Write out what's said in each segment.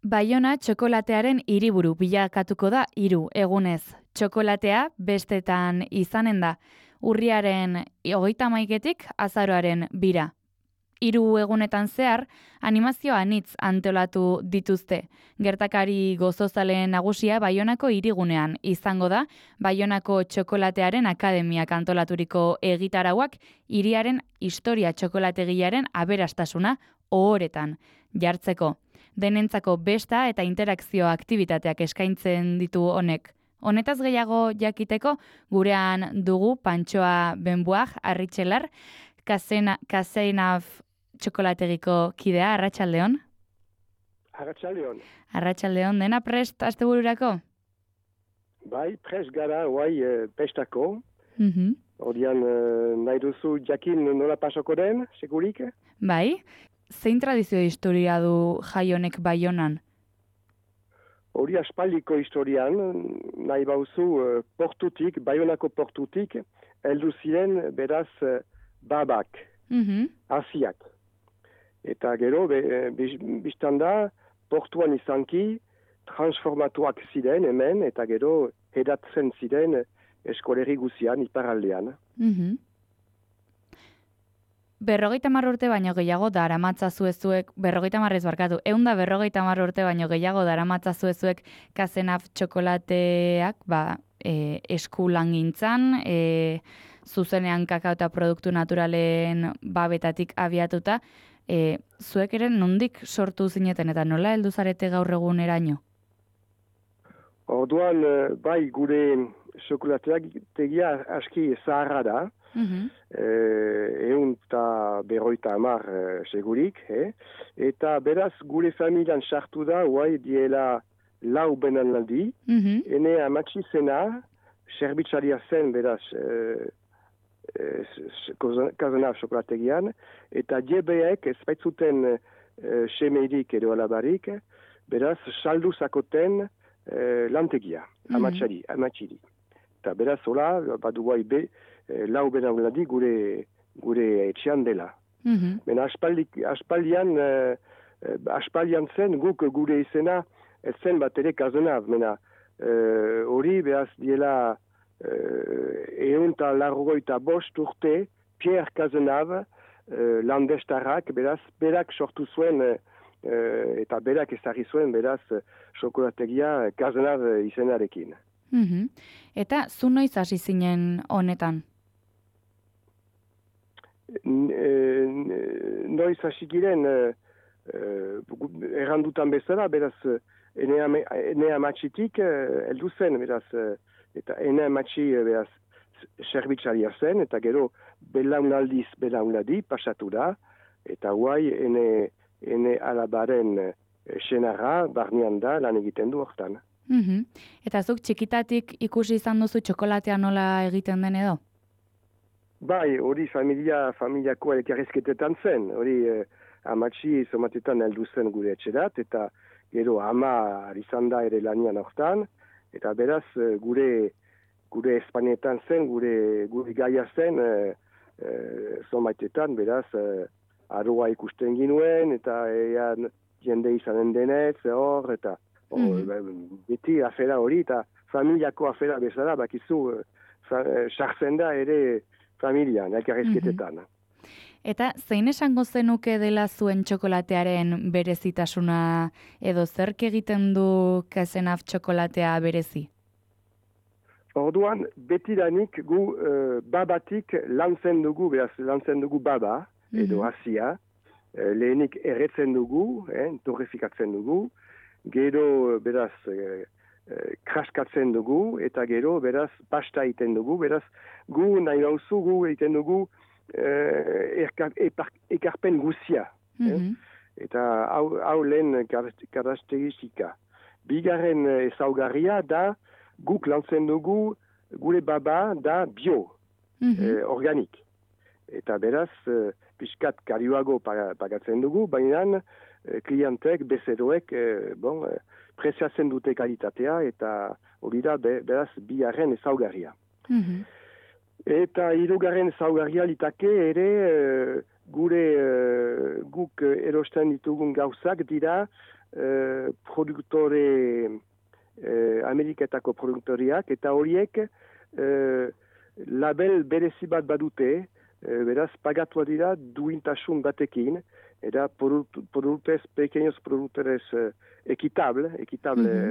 Baiona txokolatearen hiriburu bilakatuko da 3 egunez. Txokolatea bestetan izanen da. Urriaren 31etik azaroaren 2. 3 egunetan zehar, animazio anitz antolatu dituzte. Gertakari gozozaleen nagusia Baionako hirigunean izango da, Baionako txokolatearen akademiak antolaturiko egitarauak hiriaren historia txokolategiaren aberastasuna ohoretan jartzeko. Denentzako besta eta interakzio aktibitateak eskaintzen ditu honek. Honetaz gehiago jakiteko, gurean dugu Pantxoa Benbuaj, Arritxelar, Kasenaf txokolategiko kidea, Arratsaldeon. Arratsaldeon. Arratsaldeon, dena prest astebururako? Bai, prest gara, pestako. Ordian, nahi duzu jakin nola pasoko den, segurik? Bai, zein tradizio historia du jai honek Baionan? Hori aspaldiko historian, nahi bauzu portutik, Baionako portutik, heldu ziren beraz babak, asiak. Eta gero, biztan da, portuan izanki, transformatuak ziren hemen, eta gero hedatzen ziren eskoleri guzian, iparaldean. 50 urte baino gehiago daramatzazu ezuek, 50 ez barkatu, 150 urte baino gehiago daramatzazu ezuek Kasenaf txokolateak, eskulangintzan, zuzenean kakao eta produktu naturalen babetatik abiatuta, zuek ere nondik sortu zineten eta nola heldu zarete gaur eguneraino? Orduan, bai gure txokolateak tegia aski zaharra da, 150 segurik, eta beraz gure familian sartu da, diela 4 benaldi, ene amatxi zena, serbitzaria zen beraz, Kasenaf txokolategian, eta jebeek ez baitzuten semeirik edo alabarik, beraz saldu zakoten lantegia, amatxiri. Eta beraz hola, badu guai 4 benaldi gure etxean dela. Mena aspaldian zen guk gure izena ez zen bat ere Kasenaf, mena hori behaz diela 155 urte Pierre Kasenaf landestarrak, beraz berak sortu zuen eta berak ezagri zuen beraz txokolategia Kasenaf izenarekin. Eta zu noiz hasi zinen honetan? Noiz hasi giren errandutan bezala, beraz ene amatxitik heldu zen, beraz, eta ene amatxi beraz serbitzaria zen, eta gero belaunaldi pasatu da, eta guai ene alabaren senarra barnean da lan egiten du hortan. Eta zuk txikitatik ikusi izan duzu txokolatea nola egiten den edo? Bai, hori familiako elkarrizketetan zen, hori amatxi zomatetan heldu zen gure etxerat, eta gero ama izan da ere lanian hortan, eta beraz gure Espanietan zen, gure gaia zen, zomatetan beraz aroa ikusten ginuen, eta jende izanen denez, hor, eta beti afera hori, eta familiako afera bezala, bakizu, sartzen da ere familian, elkarrizketetan. Eta zein esango zenuke dela zuen txokolatearen berezitasuna edo zerk egiten du Kasenaf txokolatea berezi? Orduan, betidanik gu babatik lantzen dugu baba, edo asia, lehenik erretzen dugu, torrefikatzen dugu, gero beraz kraskatzen dugu, eta gero beraz pasta egiten dugu, beraz gu nahi nauzu gu egiten dugu ekarpen guzia. Eta hau lehen karakteristika. Bigarren ezaugarria da guk lantzen dugu gure baba da bio, organik. Eta beraz, pixkat karioago pagatzen dugu, baina klientek, bezeroek, preziatzen dute kalitatea, eta hori da beraz bigarren ezaugarria. Eta hirugarren ezaugarria litake ere guk erosten ditugun gauzak dira produktore Ameriketako produktoriak, eta horiek label berezi bat badute, beraz pagatua dira duintasun batekin, eta pequeños productores equitable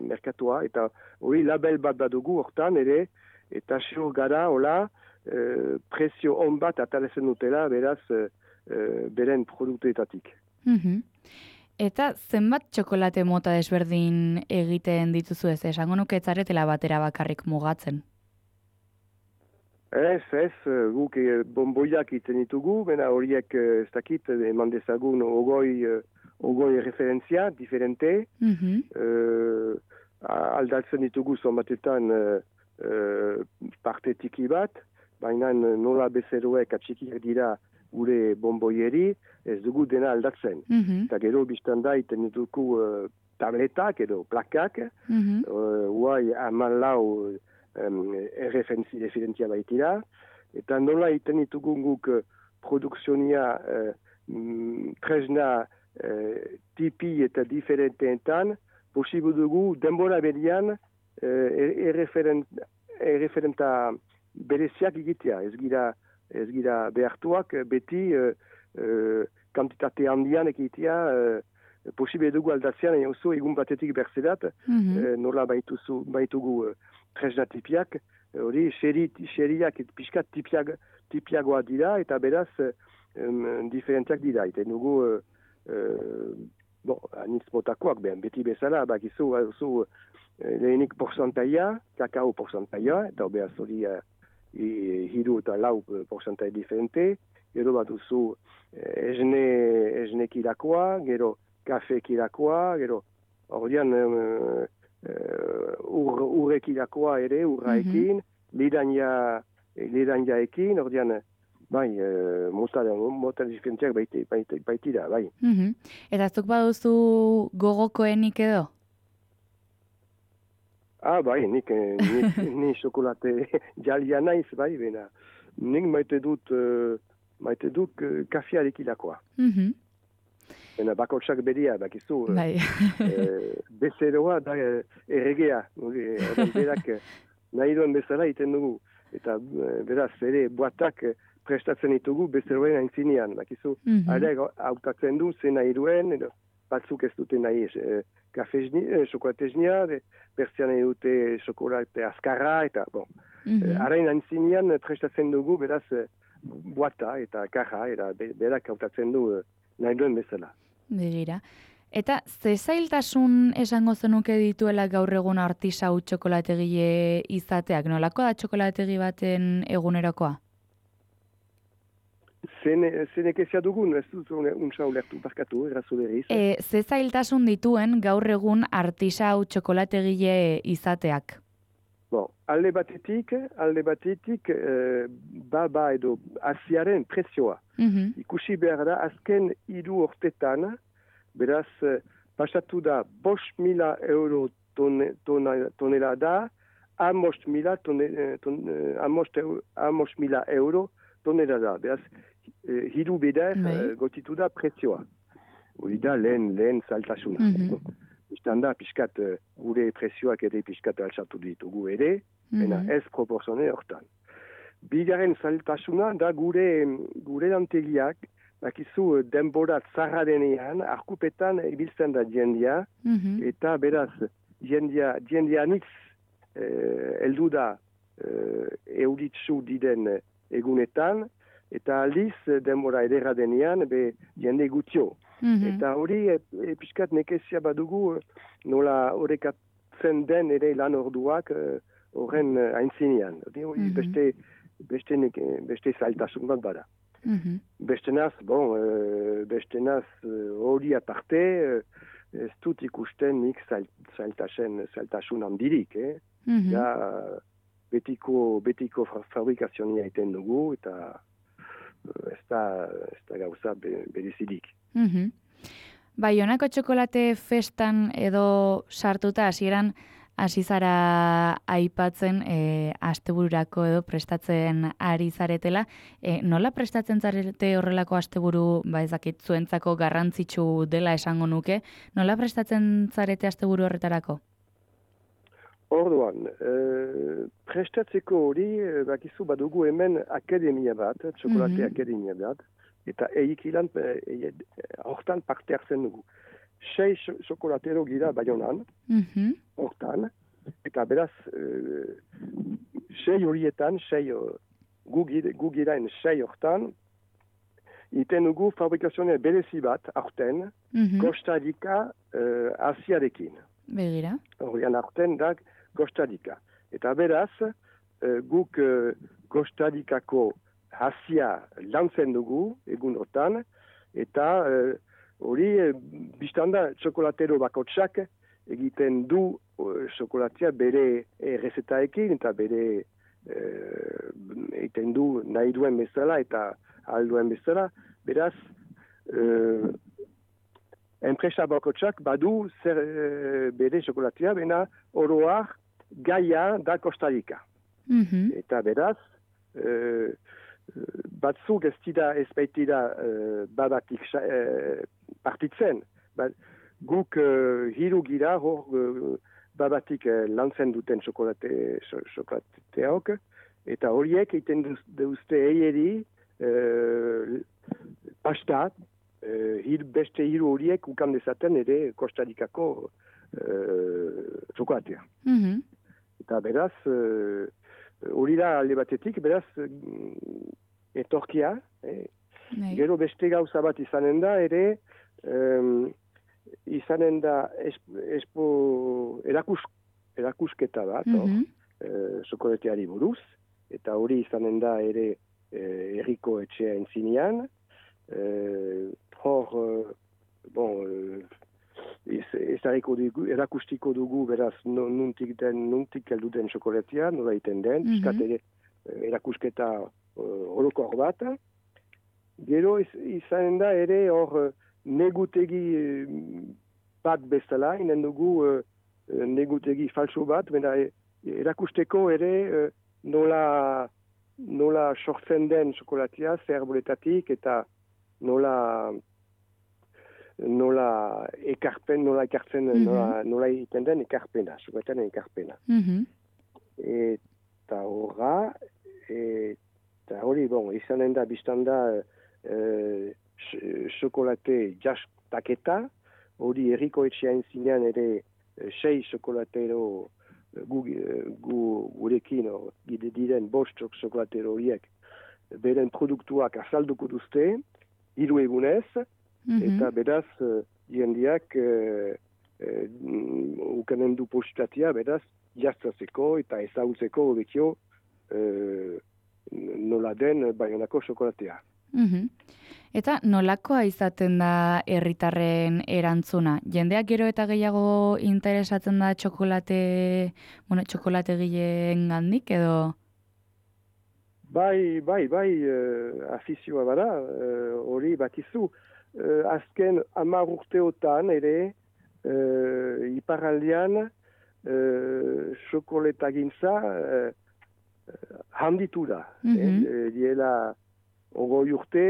merkatua, eta hori label bat badugu hortan ere, eta xur gara, hola, prezio on bat atalezen dutela, beraz, beren produktuetatik. Eta zenbat txokolate mota desberdin egiten dituzu ez? Esango nuke ez zaretela batera bakarrik mugatzen. Ez, guk bonboiak iten ditugu, bena horiek ez dakit, eman dezagun ogoi referentzia, diferente, aldatzen ditugu zonbatetan parte tiki bat, baina nola bezeroek atxikiak dira gure bonboieri, ez dugu dena aldatzen. Eta gero biztan da iten ditugu tabletak edo plakak, guai amalau referentzia baitira, eta nola iten ditugu guk produkzionia tresna tipi eta diferenteetan, posibu dugu denbora berian erreferenta bereziak egitea, ez gira behartuak beti kantitate handian egitea, posible dugu aldatzean, oso egun batetik berzelat, nola baitugu tresna tipiak, hori xeriak pixkat tipiagoa dira, eta beraz diferenteak dira. Eta nugu, anitz motakoak, beti bezala, bakizu, lehenik porzantaia, kakao porzantaia, eta beraz hori hiru eta lau porzantai diferente, gero bat duzu esne kirakoa, gero kafe kirakoa, gero ordean urrek irakoa ere, urraekin, lidania ekin, ordean, bai, mota diferentziak baitira, bai. Eta zuk baduzu gogokoenik edo? Bai, ni xokolate jalia naiz, bai, bena. Nik maite dut kafiarek irakoa. Bena bakotsak beria, bakizu, bezeroa da erregea, berak nahi duen bezala iten dugu. Eta beraz, ere, boatak prestatzen ditugu bezeroen aintzinean, bakizu. Hale, hautatzen du, zen nahi duen, batzuk ez dute nahi xokolateznia, berzian nahi dute xokolate azkarra, eta, harain aintzinean prestatzen dugu, beraz, boata eta kaja, eta berak hautatzen du nahi duen bezala. Begira. Eta ze zailtasun esango zenuke dituela gaur egun artisau txokolategile izateak? Nolako da txokolategi baten egunerokoa? Zenek ezia dugun, ez dut untsa ulertu, barkatu, errazu berriz. Ze zailtasun dituen gaur egun artisau txokolategile izateak? Alde batetik, baba edo aziaren prezioa. Ikusi behar da, azken 3 urtetan, beraz, pasatu da 5.000 euro tonelada, 5.000 euro tonelada. Beraz, hiru bider gotitu da prezioa. Hori da lehen saltasuna. Bistan da, piskat gure prezioak ere piskat altsatu ditugu ere, ez proporzone hortan. Bigarren saltasuna da gure lantegiak, bakizu denbora zarra denean, arkupetan ibiltzen da jendia, eta beraz, jendia nitz heldu da euritzu diden egunetan, eta aldiz denbora edera denean, jende gutio. Eta hori piskat nekezia badugu nola horrekatzen den ere lan orduak horren aintzinean. Beste zailtasun bat bada. Bestenaz hori aparte ez dut ikusten nik zailtasun handirik. Betiko fabrikazionia iten dugu eta ez da gauza berezidik. Baionako txokolate festan edo sartuta hasieran hasi zara aipatzen astebururako edo prestatzen ari zaretela. Nola prestatzen zarete horrelako asteburu, ez dakit zuentzako garrantzitsu dela esango nuke, nola prestatzen zarete asteburu horretarako? Orduan, prestatzeko hori, bakizu badugu hemen akademia bat, txokolate akademia bat, eta eikilan hortan parte hartzen dugu. 6 txokolatero gira Baionan, hortan, eta beraz, 6 horietan, gu giraen 6 hortan, iten dugu fabrikazione berezi bat, aurten, Costa Rica Asiarekin. Begira. Horrean aurten da Costa Rica. Eta beraz, guk Costa Ricako Asia lantzen dugu, egun hortan, eta hori, biztanda, txokolatero bakotsak egiten du txokolatea bere errezetaekin eta bere egiten du nahi duen bezala eta alduen bezala. Beraz, enpresa bakotsak badu zer bere txokolatea, bena oroar gaia da Costa Rica. Eta beraz, batzuk ez baitira babatik partitzen. Guk hiru gira hor babatik lantzen duten txokolateok, eta horiek egiten duzte eieri pasta, beste hiru horiek ukan dezaten ere Costa Ricako txokolatea. Eta beraz, hori da alde batetik, beraz, etorkia, gero beste gauza bat izanen da, ere, izanen da erakusketa bat, txokolateari buruz, eta hori izanen da ere herriko etxea entzinean, hor, erakustiko dugu, beraz, nuntik heldu den txokolatea, nola iten den, piskat ere erakusketa orokor bat. Gero izanen da ere hor negutegi bat bezala, inen dugu negutegi falso bat, bena erakusteko ere nola sortzen den txokolatea, zer boletatik, eta nola ekartzen, nola egiten den ekarpena, txokolatean ekarpena. Eta horra, eta hori, izanen da, biztanda, txokolate jastaketa, hori herriko etxean zinean ere 6 txokolatero gurekin, diren 5 txokolatero horiek, beren produktuak azalduko duzte, 3 egunez, eta beraz, jendeak ukanen du positatia, beraz, jaztatzeko eta ezagutzeko hobekio nola den Baionako txokolatea. Eta nolakoa izaten da herritarren erantzuna? Jendeak gero eta gehiago interesatzen da txokolategileen gandik edo? Bai, afizioa bada, hori bakizu. Azken 10 urteotan ere, iparraldean, txokolatagintza handitu da. Diela 20 urte,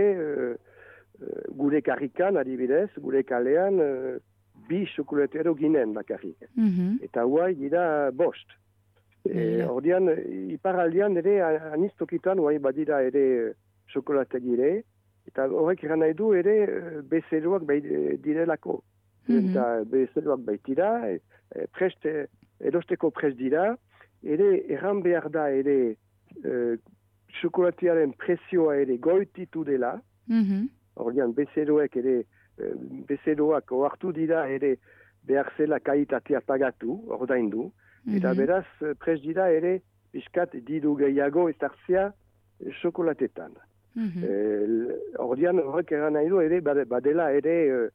gure karrikan, adibidez, gure kalean, 2 txokolatero ginen bakarrik. Eta huai gira 5. Ordean, iparraldean ere, anistokitan, huai badira ere txokolategire, eta horrek eran nahi du ere bezeroak direlako. Eta bezeroak baitira, erosteko prest dira, ere erran behar da ere txokolatearen presioa ere goititu dela. Ordean bezeroak ohartu dira ere behar zela kalitatea pagatu, ordaindu. Eta beraz prest dira ere piskat diru gehiago ezartzea txokolatetan. Ordean horrek eran nahi du ere badela ere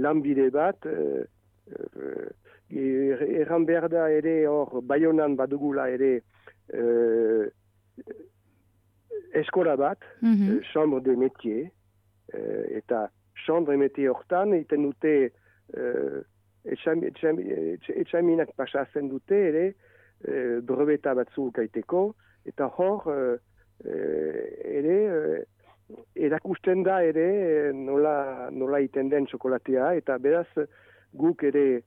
lanbide bat, erran behar da ere hor Baionan badugula ere eskola bat, chambre de métier, eta chambre de métier hortan iten dute etxaminak pasatzen dute ere, brobeta batzuk aiteko, eta hor, ere, erakusten da ere nola iten den txokolatea, eta beraz guk ere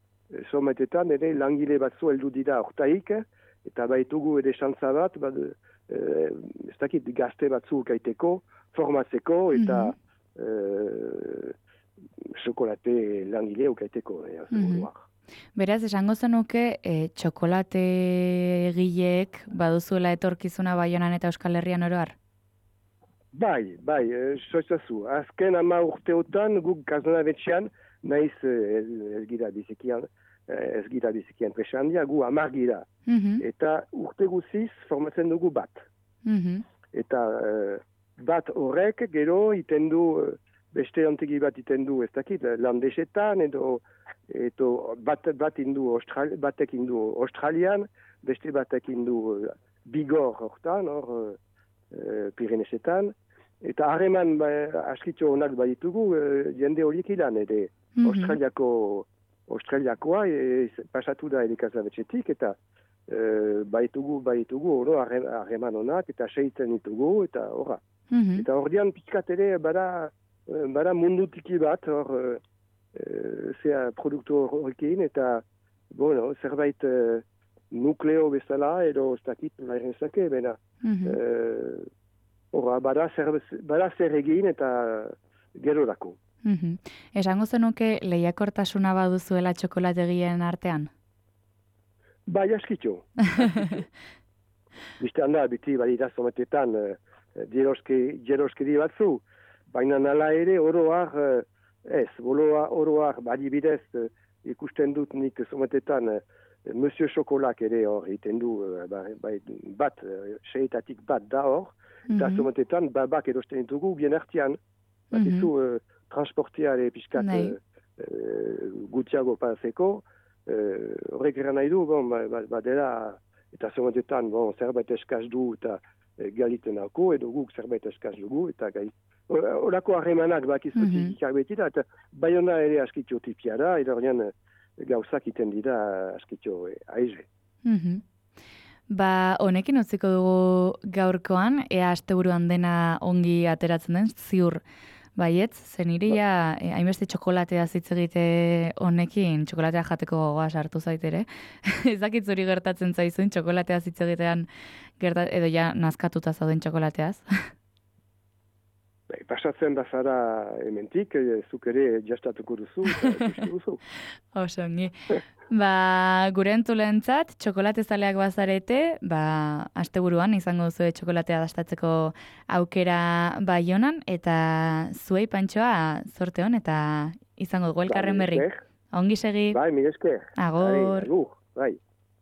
sometetan ere langile batzu heldu dira hortaik, eta baitugu ere xantza bat, ez dakit gazte batzuk aiteko, formatzeko, eta txokolate langile ukaiteko. Beraz, esango zenuke, txokolate egileek baduzuela etorkizuna Baionan eta Euskal Herrian oroar? Bai, soizazu. Azken 10 urteotan guk Gazdanabetxean, naiz ez gira bizikian presandia, gu 10 gira. Eta urte guziz formatzen dugu bat. Eta bat horrek gero iten du, beste antegi bat iten du, ez dakit, landesetan, edo batek indu Australian, beste batek indu Bigor hortan, Pirenesetan, eta harreman askitxo honak baditugu jende horiek ilan, ere Australiakoa pasatu da Gazdanabetxetik, eta baitugu oro harreman honak, eta seitzen ditugu, eta horra. Eta ordean pixkat ere bada mundutiki bat, zea produktu horrekin, eta zerbait nukleo bezala, edo ez dakit lairen zake, bena. Bada zer egin eta gero dako. Esango zenuke lehiakortasuna baduzuela txokolategien artean? Bai, askitxo. Bistan da, biti badira sometetan jeroskedi batzu, baina nala ere oroar badibidez ikusten dut nik sometetan Monsieur Chokolak ere hor egiten du, bat, seetatik bat da hor, eta sometetan babak edosten ditugu bien artean, bat izu transportiare pixkat gutxiago paseko, horrek eran nahi du, badela, eta sometetan zerbait eskaz du eta galiten hauko, edo guk zerbait eskaz dugu, eta horako harremanak bakizutik ikarbetira, eta Baiona ere askitxo tipia da, edo horrean gauzak iten dira askitxo aize. Honekin utziko dugu gaurkoan, ea asteburuan dena ongi ateratzen den, ziur baietz, zen iria, hainbeste txokolatea hitz egite honekin, txokolatea jateko gogoa sartu zaitere. Ez dakit zuri gertatzen zaizun, txokolatea hitz egitean edo ja nazkatuta zauden txokolateaz. Pasatzen bazara hementik, zuk ere jastatuko duzu, eta ikusi duzu. Oso, ongi. Gure entzulentzat, txokolate zaleak bazarete, asteburuan izango duzu txokolatea dastatzeko aukera Baionan, eta zuei Pantxoa zorte hon, eta izango dugu elkarren berri. Ongi segi. Bai, mil esker. Agor. Agur.